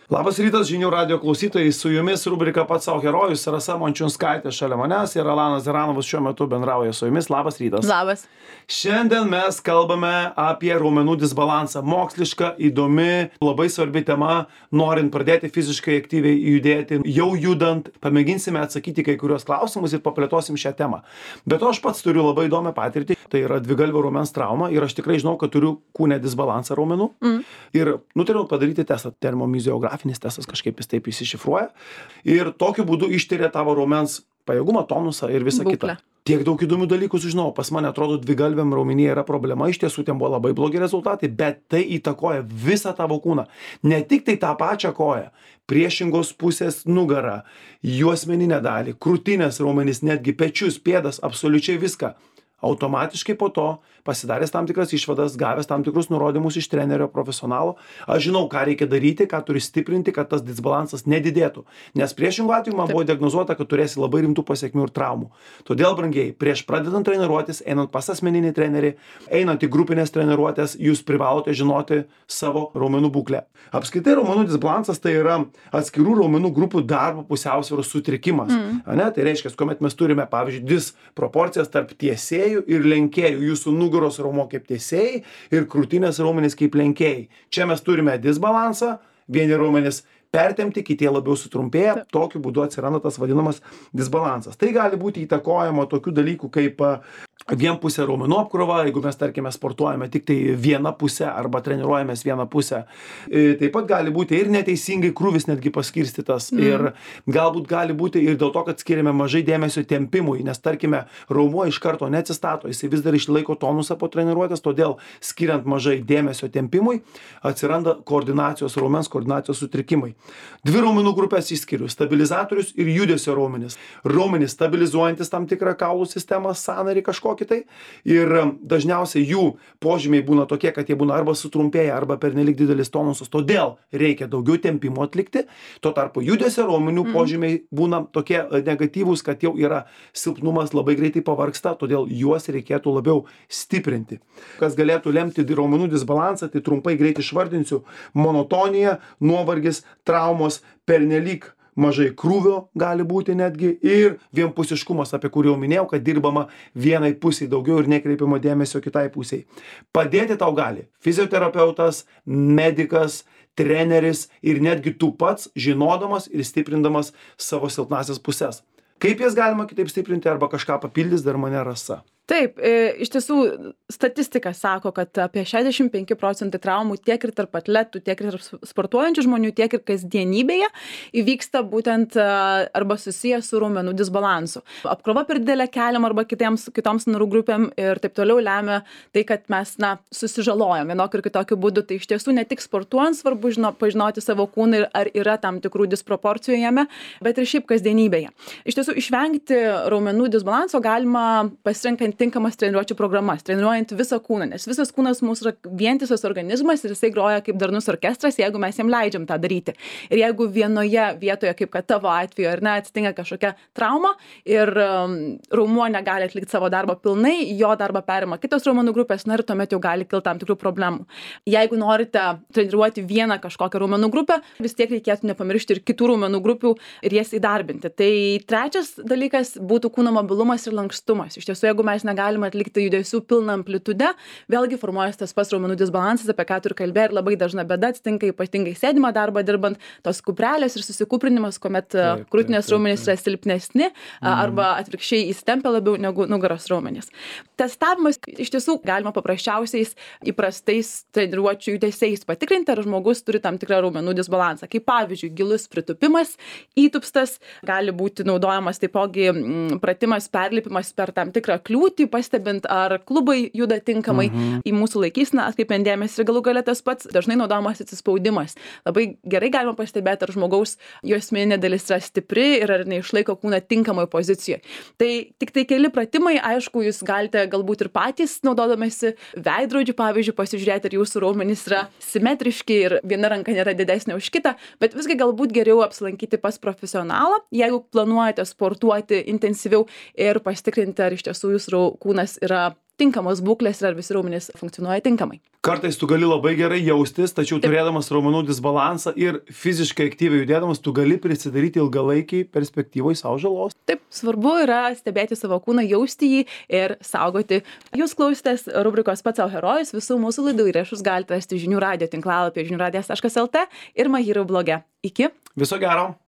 Labas rytas, žinių radio klausytojai, su jumis rubrika Pats savo herojus, Rasa Mončiunskaitė šalia manęs ir Alanas Zeranovas šiuo metu bendrauja su jumis. Labas rytas. Labas. Šiandien mes kalbame apie raumenų disbalansą. Moksliška, įdomi, labai svarbi tema, norint pradėti fiziškai aktyviai judėti, jau judant, pamėginsime atsakyti kai kurios klausimus ir paplėtosim šią temą. Bet to aš pats turiu labai įdomią patirtį, tai yra dvigalvio raumens trauma ir aš tikrai žinau, kad turiu kūne disbalansą raumenų ir nutariau padaryti testą, termomiziografinis testas, kažkaip jis taip įsišifruoja ir tokiu būdu ištiria tavo raumens pajėgumą, tonusą ir visą kitą. Tiek daug įdomių dalykų sužinau, pas mane atrodo dvigalviam raumenyje yra problema, iš tiesų ten buvo labai blogi rezultatai, bet tai įtakoja visą tavo kūną, ne tik tai tą pačią koją, priešingos pusės nugarą, juosmeninę dalį, krūtinės raumenys, netgi pečius, pėdas, absoliučiai viską. Automatiškai po to, pasidaręs tam tikras išvadas, gavęs tam tikrus nurodymus iš trenerio profesionalo, aš žinau, ką reikia daryti, ką turi stiprinti, kad tas disbalansas nedidėtų. Nes priešingų atveju man buvo diagnozuota, kad turėsi labai rimtų pasekmių ir traumų. Todėl, brangiai, prieš pradedant treniruotis, einant pas asmeninį trenerį, einant į grupinės treniruotės, jūs privalote žinoti savo raumenų būklę. Apskritai, raumenų disbalansas tai yra atskirų raumenų grupių darbo pusiausvyros sutrikimas. Tai reiškia, kuomet mes turime, pavyzdžiui, disproporcijas tarp tiesėjų ir lenkėjų, jūsų nugaros raumuo kaip tiesėjai ir krūtinės raumenys kaip lenkėjai. Čia mes turime disbalansą, vieni raumenys pertempti, kiti labiau sutrumpėja, tokiu būdu atsiranda tas vadinamas disbalansas. Tai gali būti įtakojama tokių dalykų kaip vienpusė raumenų apkrova, jeigu mes, tarkime, sportuojame tik tai vieną pusę arba treniruojamės vieną pusę. Taip pat gali būti ir neteisingai krūvis netgi paskirstytas ir galbūt gali būti ir dėl to, kad skiriame mažai dėmesio tempimui, nes, tarkime, raumuo iš karto neatsistato, jisai vis dar išlaiko tonusą po treniruotės, todėl skiriant mažai dėmesio tempimui atsiranda koordinacijos raumens, koordinacijos sutrikimai. Dvi raumenų grupės išskiriu - stabilizatorius ir judesio raumenis. Raumenis stabilizuojantis tam tikrą kaulų sistemą, sąnarį kažkokį tai ir dažniausiai jų požymiai būna tokie, kad jie būna arba sutrumpėję, arba pernelyg didelis tonusas, todėl reikia daugiau tempimo atlikti. Tuo tarpu judesio raumenių požymiai būna tokie negatyvūs, kad jau yra silpnumas, labai greitai pavargsta, todėl juos reikėtų labiau stiprinti. Kas galėtų lemti raumenų disbalansą, tai trumpai greit išvardinsiu: monotonija, nuovargis, traumos, pernelyg mažai krūvio gali būti netgi ir vienpusiškumas, apie kurį jau minėjau, kad dirbama vienai pusiai daugiau ir nekreipiama dėmesio kitai pusiai. Padėti tau gali fizioterapeutas, medikas, treneris ir netgi tu pats, žinodamas ir stiprindamas savo silpnasias puses. Kaip jas galima kitaip stiprinti arba kažką papildys dar mane Rasa? Taip, iš tiesų statistika sako, kad apie 65% traumų tiek ir tarp atletų, tiek ir tarp sportuojančių žmonių, tiek ir kasdienybėje įvyksta būtent arba susijęs su raumenų disbalansu. Apkrova per didelė keliam arba kitoms narų grupėm ir taip toliau lemia tai, kad mes susižalojam vienokiu ir kitokiu būdu. Tai iš tiesų ne tik sportuojant svarbu pažinoti savo kūną ir ar yra tam tikrų disproporcijų jame, bet ir šiaip kasdienybėje. Iš tiesų išvengti raumenų disbalanso galima pasirinkant tinkamas treniruočių programas, treniruojant visą kūną, nes visas kūnas mūsų yra vientisas organizmas ir jisai groja kaip darnus orkestras, jeigu mes jam leidžiam tą daryti. Ir jeigu vienoje vietoje, kaip kad tavo atveju, ar ne, atsitinka kažkokia trauma ir raumuo negali atlikti savo darbą pilnai, jo darbą perima kitos raumenų grupės, ir tuomet jau gali kilti tam tikrų problemų. Jeigu norite treniruoti vieną kažkokią raumenų grupę, vis tiek reikėtų nepamiršti ir kitų raumenų grupių ir jas įdarbinti. Tai trečias dalykas būtų kūno mobilumas ir lankstumas. Iš tiesų, jeigu mes negalime atlikti judesių pilną amplitudę, vėlgi formuojasi tas pats raumenų disbalansas, apie ką tu ir kalbėjai, ir labai dažna bėda atsitinka ypatingai sėdimą darbą dirbant, tos kuprelės ir susikuprinimas, kuomet krūtinės raumenys yra silpnesni arba atvirkščiai įsitempia labiau negu nugaros raumenys. Testavimas iš tiesų galima paprasčiausiais įprastais treniruočių judesiais patikrinti, ar žmogus turi tam tikrą raumenų disbalansą. Kaip pavyzdžiui, gilus pritūpimas, įtūpstas, gali būti naudojamas taipogi pratimas, perlipimas per tam tikrą kliūtį, pastebint, ar klubai juda tinkamai į mūsų laikyseną, atkreipiant dėmesį ir galų gale tas pats dažnai naudojamas atsispaudimas. Labai gerai galima pastebėti, ar žmogaus juosmeninė dalis yra stipri ir ar neišlaiko kūną tinkamoje pozicijoje. Tai tik tai keli pratimai, aišku, jūs galite galbūt ir patys naudodamėsi veidrodžiu, pavyzdžiui, pasižiūrėti, ar jūsų raumenys yra simetriški ir viena ranka nėra didesnė už kitą, bet visgi galbūt geriau apsilankyti pas profesionalą, jeigu planuojate sportuoti intensyviau ir pasitikrinti, ar iš tiesų jūsų kūnas yra tinkamos būklės ir ar visi raumenys funkcionuoja tinkamai. Kartais tu gali labai gerai jaustis, tačiau turėdamas raumenų disbalansą ir fiziškai aktyviai judėdamas, tu gali prisidaryti ilgalaikiai perspektyvoj savo žalos. Taip, svarbu yra stebėti savo kūną, jausti jį ir saugoti. Jūs klausėtės rubrikos Pats savo herojus, visų mūsų laidų įrašus galite rasti žinių radijo tinklalapyje žiniųradijas.lt ir My Hero bloge. Iki. Viso gero.